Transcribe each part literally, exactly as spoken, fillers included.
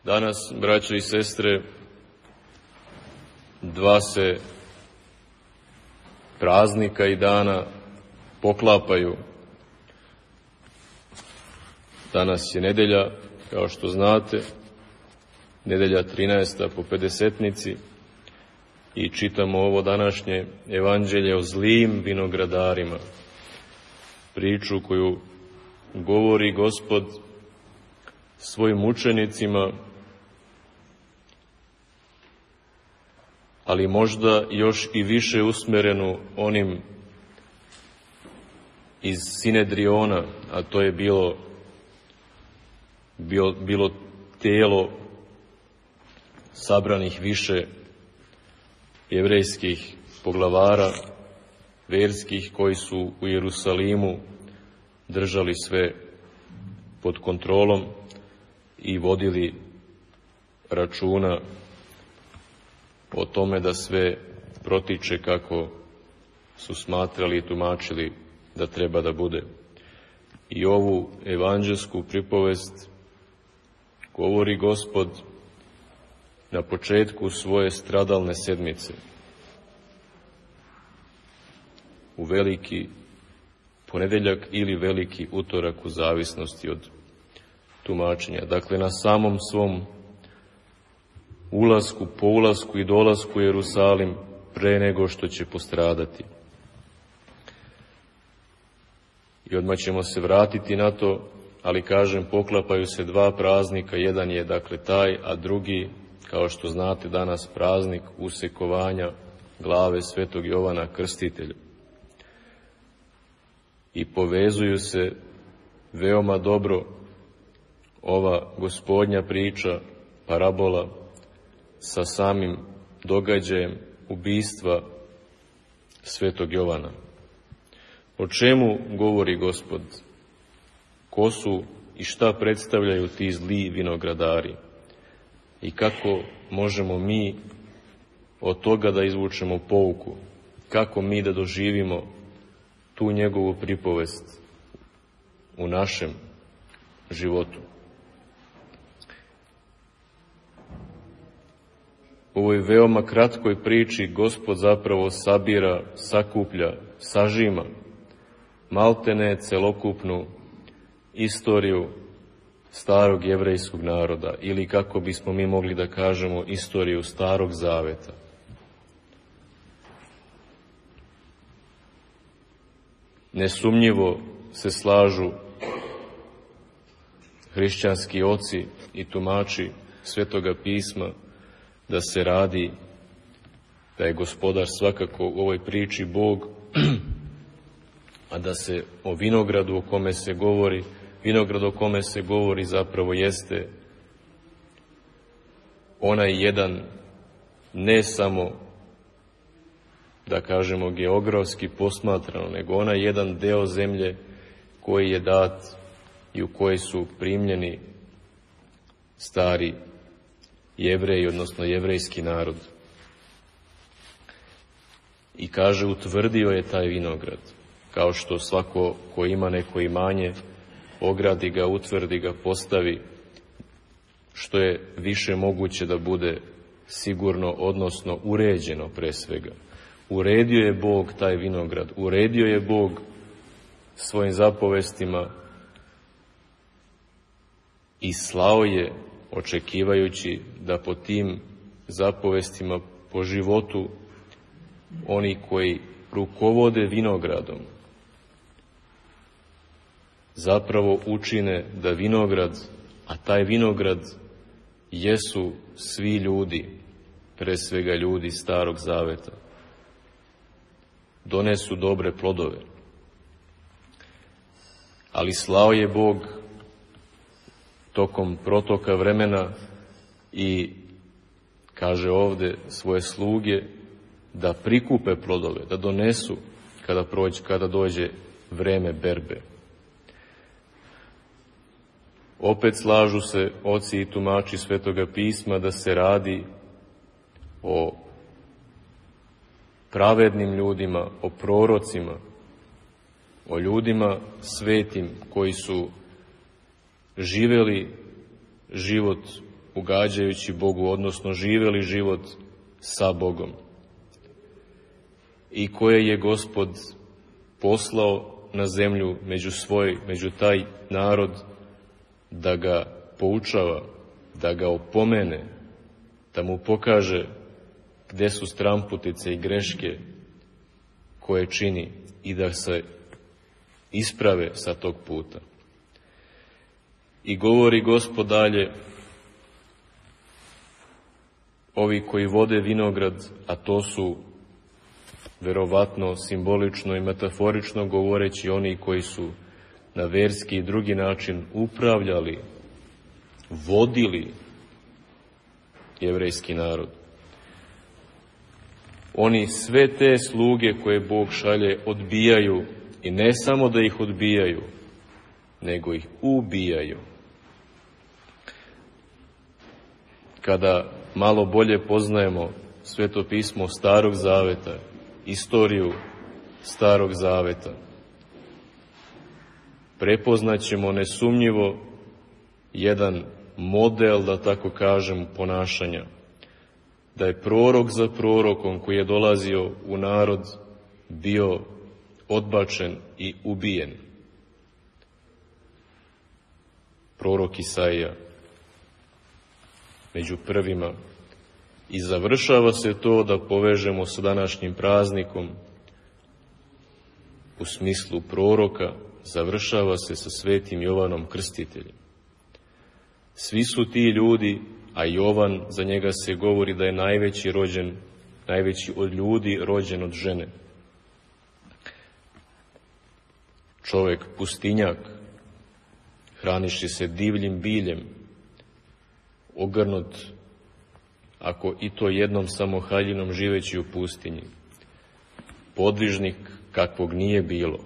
Danas, braćo i sestre, dva se praznika i dana poklapaju. Danas je nedelja, kao što znate, nedelja trinaesta po pedesetnici i čitamo ovo današnje evanđelje o zlim vinogradarima, priču koju govori Gospod svojim učenicima, ali možda još i više usmerenu onim iz Sinedriona, a to je bilo, bilo, bilo tijelo sabranih više jevrejskih poglavara, verskih, koji su u Jerusalimu držali sve pod kontrolom i vodili računa o tome da sve protiče kako su smatrali i tumačili da treba da bude. I ovu evanđelsku pripovest govori Gospod na početku svoje stradalne sedmice, u veliki ponedeljak ili veliki utorak, u zavisnosti od tumačenja. Dakle, na samom svom ulasku, po ulasku i dolasku u Jerusalim, pre nego što će postradati. I odmah ćemo se vratiti na to, ali kažem, poklapaju se dva praznika. Jedan je dakle taj, a drugi, kao što znate, danas praznik usekovanja glave svetog Jovana Krstitelja. I povezuju se veoma dobro ova Gospodnja priča, parabola, sa samim događajem ubistva svetog Jovana. O čemu govori Gospod? Ko su i šta predstavljaju ti zli vinogradari? I kako možemo mi od toga da izvučemo pouku? Kako mi da doživimo tu njegovu pripovest u našem životu? U ovoj veoma kratkoj priči Gospod zapravo sabira, sakuplja, sažima maltene celokupnu istoriju starog jevrejskog naroda, ili kako bismo mi mogli da kažemo, istoriju Starog Zaveta. Nesumnjivo se slažu hrišćanski oci i tumači Svetoga pisma da se radi, da je Gospodar svakako u ovoj priči Bog, a da se o vinogradu o kome se govori, vinograd o kome se govori zapravo jeste onaj jedan, ne samo da kažemo geografski posmatrano, nego onaj jedan deo zemlje koji je dat i u koji su primljeni stari Jevreji, odnosno jevrejski narod. I kaže, utvrdio je taj vinograd, kao što svako ko ima neko imanje, ogradi ga, utvrdi ga, postavi, što je više moguće da bude sigurno, odnosno uređeno pre svega. Uredio je Bog taj vinograd, uredio je Bog svojim zapovestima i slao je, očekivajući da po tim zapovestima, po životu oni koji rukovode vinogradom, zapravo učine da vinograd, a taj vinograd jesu svi ljudi, pre svega ljudi Starog Zaveta, donesu dobre plodove. Ali slao je Bog tokom protoka vremena i, kaže ovde, svoje sluge da prikupe plodove, da donesu kada prođe, kada dođe vreme berbe. Opet slažu se oci i tumači Svetoga pisma da se radi o pravednim ljudima, o prorocima, o ljudima svetim koji su živeli život ugađajući Bogu, odnosno živjeli život sa Bogom, i koje je Gospod poslao na zemlju među svoj, među taj narod, da ga poučava, da ga opomene, da mu pokaže gdje su stramputice i greške koje čini i da se isprave sa tog puta. I govori Gospod dalje, ovi koji vode vinograd, a to su verovatno simbolično i metaforično govoreći oni koji su na verski i drugi način upravljali, vodili jevrejski narod. Oni sve te sluge koje Bog šalje odbijaju, i ne samo da ih odbijaju, nego ih ubijaju. Kada malo bolje poznajemo Sveto pismo Starog zaveta, istoriju Starog zaveta, prepoznaćemo nesumnjivo jedan model, da tako kažem, ponašanja, da je prorok za prorokom koji je dolazio u narod bio odbačen i ubijen. Prorok Isaija među prvima. I završava se to, da povežemo sa današnjim praznikom, u smislu proroka, završava se sa svetim Jovanom Krstiteljem. Svi su ti ljudi, a Jovan, za njega se govori da je najveći rođen, najveći od ljudi rođen od žene. Čovjek pustinjak, hraniši se divljim biljem, ogrnut, ako i to jednom samo haljinom, živeći u pustinji. Podvižnik kakvog nije bilo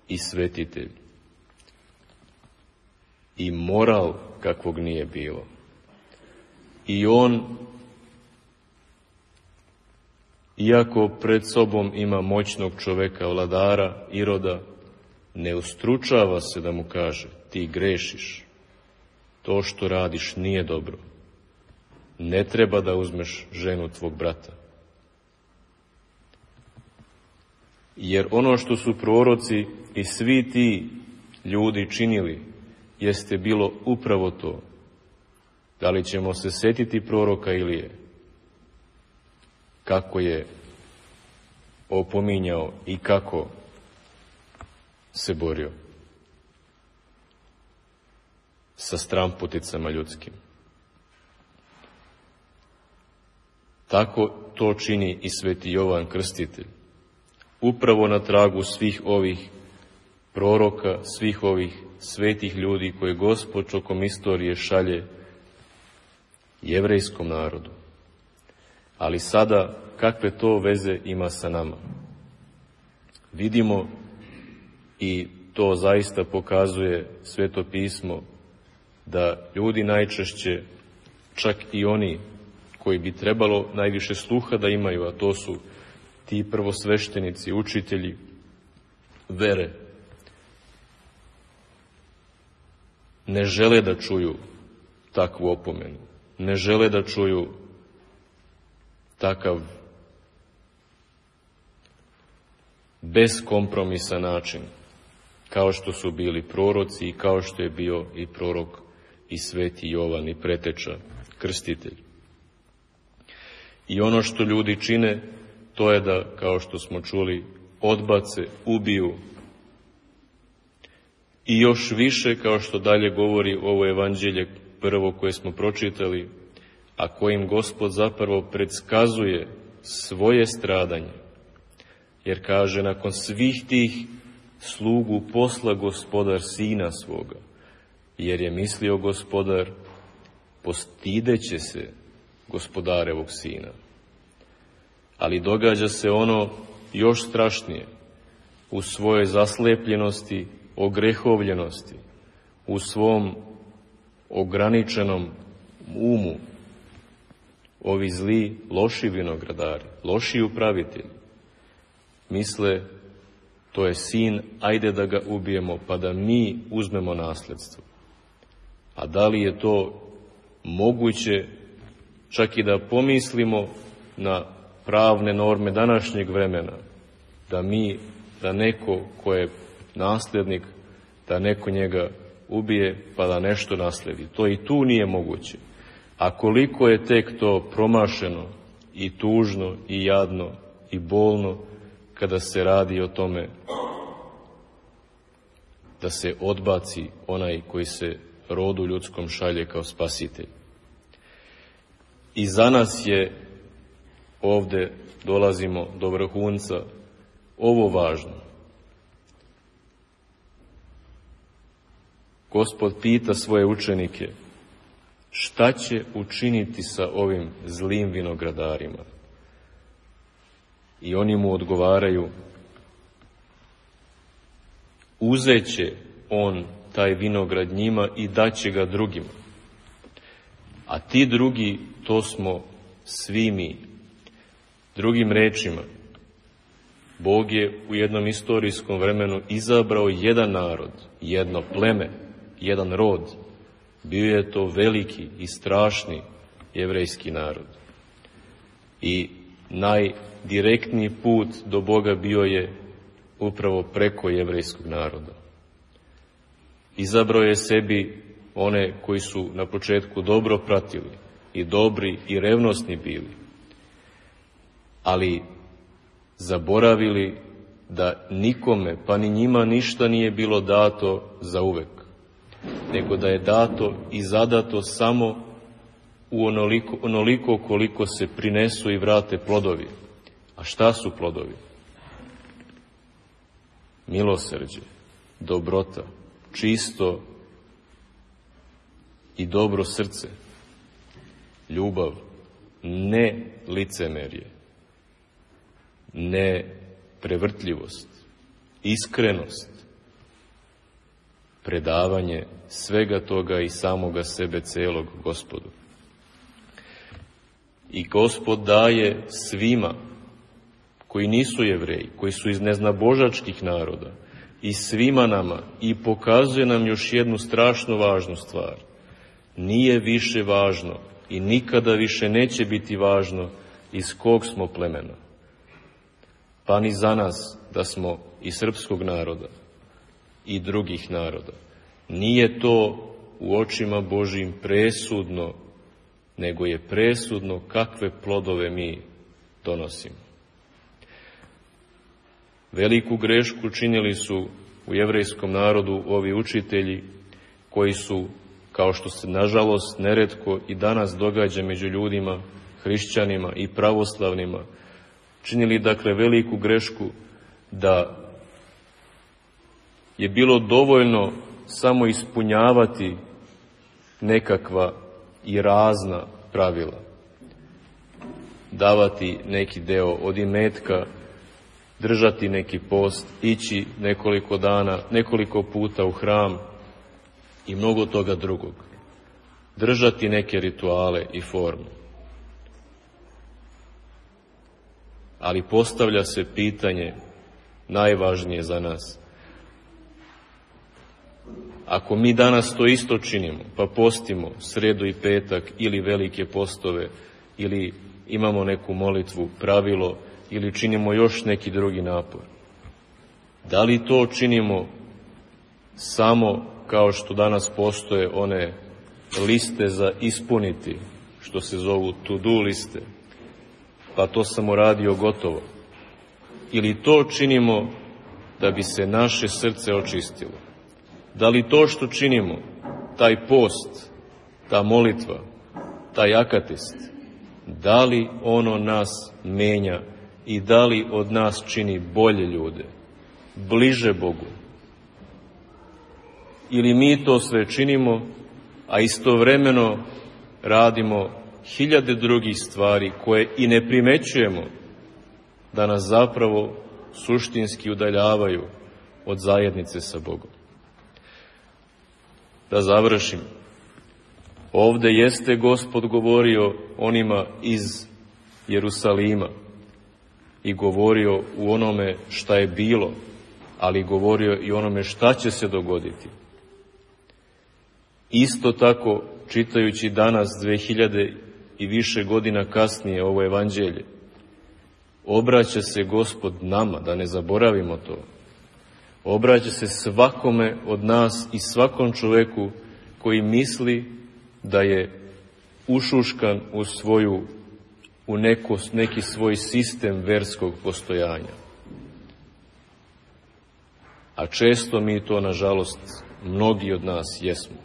i svetitelj. I moral kakvog nije bilo. I on, iako pred sobom ima moćnog čoveka, vladara, Iroda, ne ustručava se da mu kaže: ti grešiš, to što radiš nije dobro, ne treba da uzmeš ženu tvog brata. Jer ono što su proroci i svi ti ljudi činili jeste bilo upravo to. Da li ćemo se setiti proroka Ilije, kako je opominjao i kako se borio sa stramputicama ljudskim. Tako to čini i sveti Jovan Krstitelj. Upravo na tragu svih ovih proroka, svih ovih svetih ljudi koje Gospod tokom istorije šalje jevrejskom narodu. Ali sada, kakve to veze ima sa nama? Vidimo, i to zaista pokazuje Sveto pismo, da ljudi najčešće, čak i oni koji bi trebalo najviše sluha da imaju, a to su ti prvosveštenici, učitelji vere, ne žele da čuju takvu opomenu, ne žele da čuju takav beskompromisan način, kao što su bili proroci i kao što je bio i prorok i sveti Jovan i preteča Krstitelj. I ono što ljudi čine, to je da, kao što smo čuli, odbace, ubiju. I još više, kao što dalje govori ovo evanđelje prvo koje smo pročitali, a kojim Gospod zapravo predskazuje svoje stradanje. Jer kaže, nakon svih tih slugu posla Gospodar sina svoga, jer je mislio Gospodar, postideće se Gospodarevog sina. Ali događa se ono još strašnije. U svojoj zaslepljenosti, ogrehovljenosti, u svom ograničenom umu, ovi zli, loši vinogradari, loši upravitelji, misle, to je sin, ajde da ga ubijemo, pa da mi uzmemo nasljedstvo. A da li je to moguće čak i da pomislimo na pravne norme današnjeg vremena, da mi, da neko ko je nasljednik, da neko njega ubije pa da nešto nasledi. To i tu nije moguće. A koliko je tek to promašeno i tužno i jadno i bolno kada se radi o tome da se odbaci onaj koji se rodu ljudskom šalje kao spasitelj. I za nas je, ovde dolazimo do vrhunca, ovo važno. Gospod pita svoje učenike šta će učiniti sa ovim zlim vinogradarima. I oni mu odgovaraju, uzeće on taj vinograd njima i daće ga drugima. A ti drugi, to smo svi mi. Drugim rečima, Bog je u jednom istorijskom vremenu izabrao jedan narod, jedno pleme, jedan rod. Bio je to veliki i strašni jevrejski narod. I najdirektniji put do Boga bio je upravo preko jevrejskog naroda. Izabrao je sebi one koji su na početku dobro pratili i dobri i revnosni bili, ali zaboravili da nikome, pa ni njima, ništa nije bilo dato za uvek, nego da je dato i zadato samo u onoliko, onoliko koliko se prinesu i vrate plodovi. A šta su plodovi? Milosrđe, dobrota, čisto i dobro srce, ljubav, ne licemerje, ne prevrtljivost, iskrenost, predavanje svega toga i samoga sebe celog Gospodu. I Gospod daje svima koji nisu Jevreji, koji su iz neznabožačkih naroda, i svima nama, i pokazuje nam još jednu strašno važnu stvar. Nije više važno i nikada više neće biti važno iz kog smo plemena. Pa ni za nas da smo i srpskog naroda i drugih naroda. Nije to u očima Božjim presudno, nego je presudno kakve plodove mi donosimo. Veliku grešku činili su u jevrejskom narodu ovi učitelji koji su, kao što se nažalost neretko i danas događa među ljudima, hrišćanima i pravoslavnima, činili dakle veliku grešku da je bilo dovoljno samo ispunjavati nekakva i razna pravila, davati neki deo od imetka, držati neki post, ići nekoliko dana, nekoliko puta u hram i mnogo toga drugog, držati neke rituale i forme. Ali postavlja se pitanje najvažnije za nas. Ako mi danas to isto činimo, pa postimo sredu i petak ili velike postove, ili imamo neku molitvu, pravilo, ili činimo još neki drugi napor, da li to činimo samo kao što danas postoje one liste za ispuniti, što se zovu to-do liste, pa to sam uradio, gotovo, ili to činimo da bi se naše srce očistilo? Da li to što činimo, taj post, ta molitva, taj akatist, da li ono nas menja i da li od nas čini bolje ljude, bliže Bogu? Ili mi to sve činimo, a istovremeno radimo hiljade drugih stvari koje i ne primećujemo, da nas zapravo suštinski udaljavaju od zajednice sa Bogom. Da završim. Ovde jeste Gospod govorio onima iz Jerusalima i govorio u onome šta je bilo, ali govorio i onome šta će se dogoditi. Isto tako čitajući danas dve hiljade i više godina kasnije ovo evanđelje, obraća se Gospod nama, da ne zaboravimo to. Obraća se svakome od nas i svakom čoveku koji misli da je ušuškan u svoju, u neko, neki svoj sistem verskog postojanja. A često mi to, nažalost, mnogi od nas jesmo.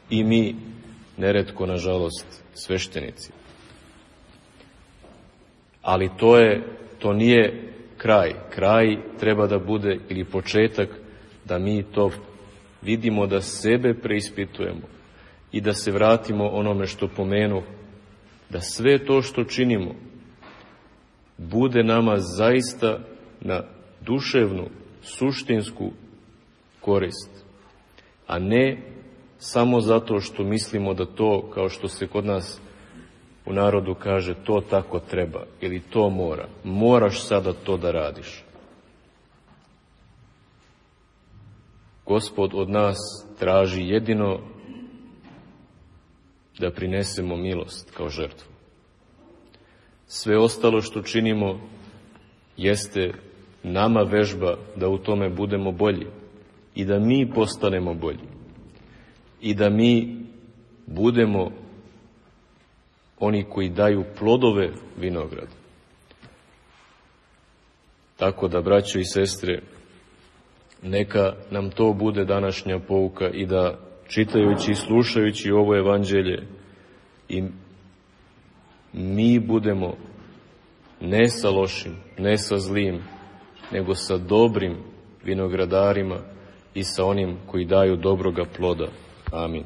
I mi, neretko, nažalost, sveštenici. Ali to je, to nije kraj. Kraj treba da bude, ili početak, da mi to vidimo, da sebe preispitujemo i da se vratimo onome što pomenuh, da sve to što činimo bude nama zaista na duševnu, suštinsku korist, a ne samo zato što mislimo da to, kao što se kod nas u narodu kaže, to tako treba ili to mora. Moraš sada to da radiš. Gospod od nas traži jedino da prinesemo milost kao žrtvu. Sve ostalo što činimo jeste nama vežba da u tome budemo bolji i da mi postanemo bolji i da mi budemo oni koji daju plodove vinograda. Tako da, braćo i sestre, neka nam to bude današnja pouka i da, čitajući i slušajući ovo evanđelje, i mi budemo ne sa lošim, ne sa zlim, nego sa dobrim vinogradarima i sa onim koji daju dobroga ploda. Amin.